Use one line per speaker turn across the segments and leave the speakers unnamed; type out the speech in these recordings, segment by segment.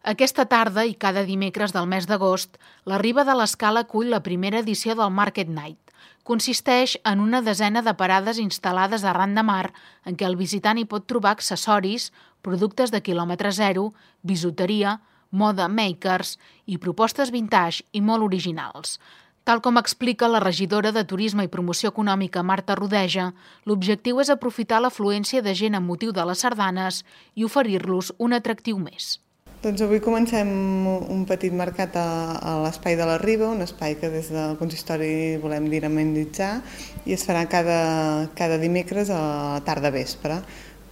Aquesta tarda i cada dimecres del mes d'agost, la Riba de l'Escala acull la primera edició del Market Night. Consisteix en una desena de parades instal·lades arran de mar en què el visitant hi pot trobar accessoris, productes de quilòmetre zero, bisuteria, moda makers i propostes vintage i molt originals. Tal com explica la regidora de Turisme i Promoció Econòmica Marta Rodeja, l'objectiu és aprofitar l'afluència de gent amb motiu de les sardanes i oferir-los un atractiu més.
Doncs avui comencem un petit mercat a l'Espai de la Riba, un espai que des del consistori volem dinamitzar i es farà cada dimecres a la tarda vespre,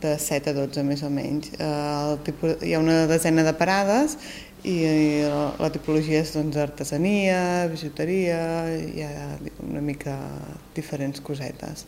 de 7 a 12 més o menys. Hi ha una desena de parades i la tipologia és artesania, bijuteria, hi ha una mica diferents cosetes.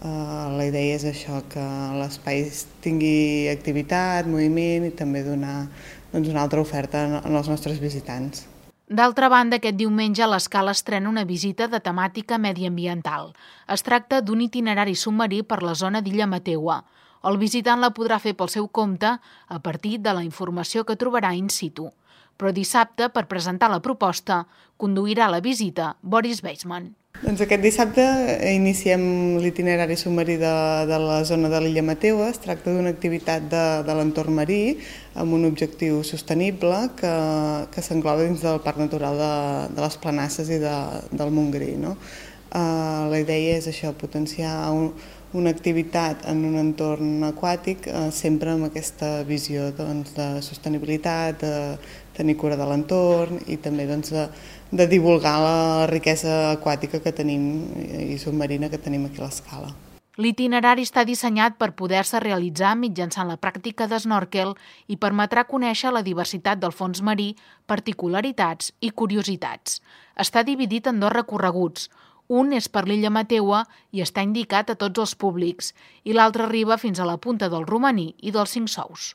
La idea és això, que l'espai tingui activitat, moviment i també donar una altra oferta als nostres visitants.
D'altra banda, aquest diumenge l'Escala estrena una visita de temàtica mediambiental. Es tracta d'un itinerari submarí per la zona d'Illa Mateua. El visitant la podrà fer pel seu compte a partir de la informació que trobarà in situ. Però dissabte, per presentar la proposta, conduirà la visita Boris Weissman.
Doncs aquest dissabte iniciem l'itinerari submarí de la zona de l'Illa Mateua. Es tracta d'una activitat de l'entorn marí amb un objectiu sostenible que s'engloba dins del Parc Natural de les Planasses i del Montgrí. La idea és això, potenciar una activitat en un entorn aquàtic sempre amb aquesta visió de sostenibilitat, de tenir cura de l'entorn i també de divulgar la riquesa aquàtica que tenim i submarina que tenim aquí a l'Escala.
L'itinerari està dissenyat per poder-se realitzar mitjançant la pràctica d'esnòrquel i permetrà conèixer la diversitat del fons marí, particularitats i curiositats. Està dividit en 2 recorreguts. Un és per l'Illa Mateua i està indicat a tots els públics i l'altre arriba fins a la punta del Romaní i dels 5 Sous.